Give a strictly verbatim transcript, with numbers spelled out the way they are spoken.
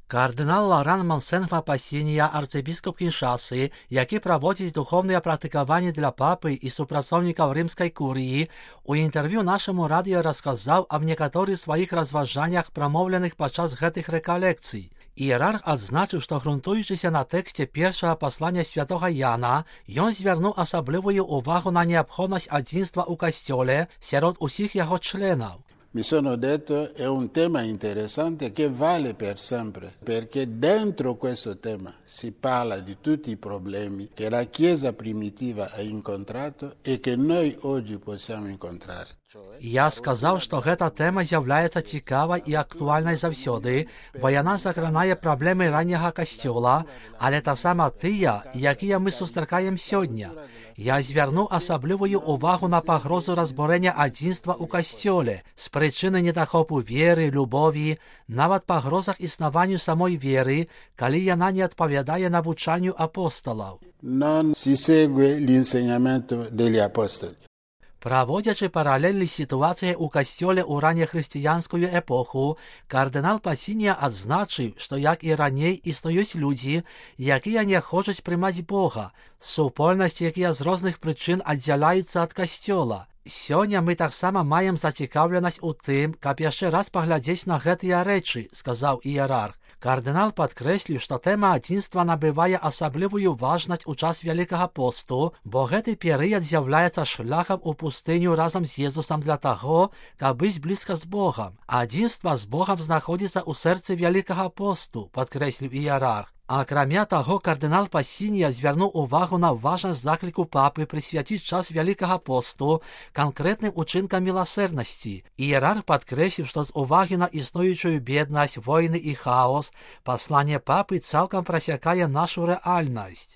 Кардинал Лоран Монсенфа Пасінія, арцыбіскуп Кіншасы, які праводзіць духовныя практыкаванні для папы і супрацоўнікаў рымскай курыі, у інтэрв'ю нашаму радыё расказаў аб некаторых сваіх разважаннях, прамоўленых падчас гэтых рэкалекцый. Іерарх адзначыў, што грунтуючыся на тэксце першага паслання святога Яна, ён звярнуў асаблівую увагу на неабходнасць адзінства ў касцёле сярод усіх яго членаў. Mi sono detto è un tema interessante che vale per sempre, perché dentro questo tema si parla di tutti i problemi che la Chiesa primitiva ha incontrato e che noi oggi possiamo incontrare. Я сказаў, што гэта тэма з'яўляецца цікавай і актуальнай заўсёды, бо яна закранае праблемы ранняга касцёла, але таксама тыя, якія мы сустракаем сёння. Я звярнуў асаблівую увагу на пагрозу разбурэння адзінства ў касцёле з прычыны недахопу веры, любові, нават пагрозах існаванню самой веры, калі яна не адпавядае навучанню апосталаў. Non si segue l'insegnamento degli apostoli. Праводзячы паралельны сітуацыі ў касцёле ў раннехрысціянскую эпоху, кардынал Пасінія адзначыў, што як і раней існуюць людзі, якія не хочуць прымаць Бога, супольнасць, якія з розных прычын аддзяляюцца ад касцёла. Сёння мы таксама маем зацікаўленасць у тым, каб яшчэ раз паглядзець на гэтыя рэчы, сказаў іерарх. Кардынал падкрэсліў, што тэма адзінства набывае асаблівую важнасць у час Вялікага посту, бо гэты перыяд з'яўляецца шляхам у пустыню разам з Езусам для таго, каб быць блізка з Богам. Адзінства з Богам знаходзіцца ў сэрцы Вялікага посту, падкрэсліў іерарх. Акрамя таго, кардынал Пасінія звярнуў увагу на важнасць закліку папы прысвяціць час Вялікага посту канкрэтным учынкам міласэрнасці. Іерарх падкрэсліў, што з увагі на існуючую беднасць, войны і хаос, пасланне папы цалкам прасякае нашу рэальнасць.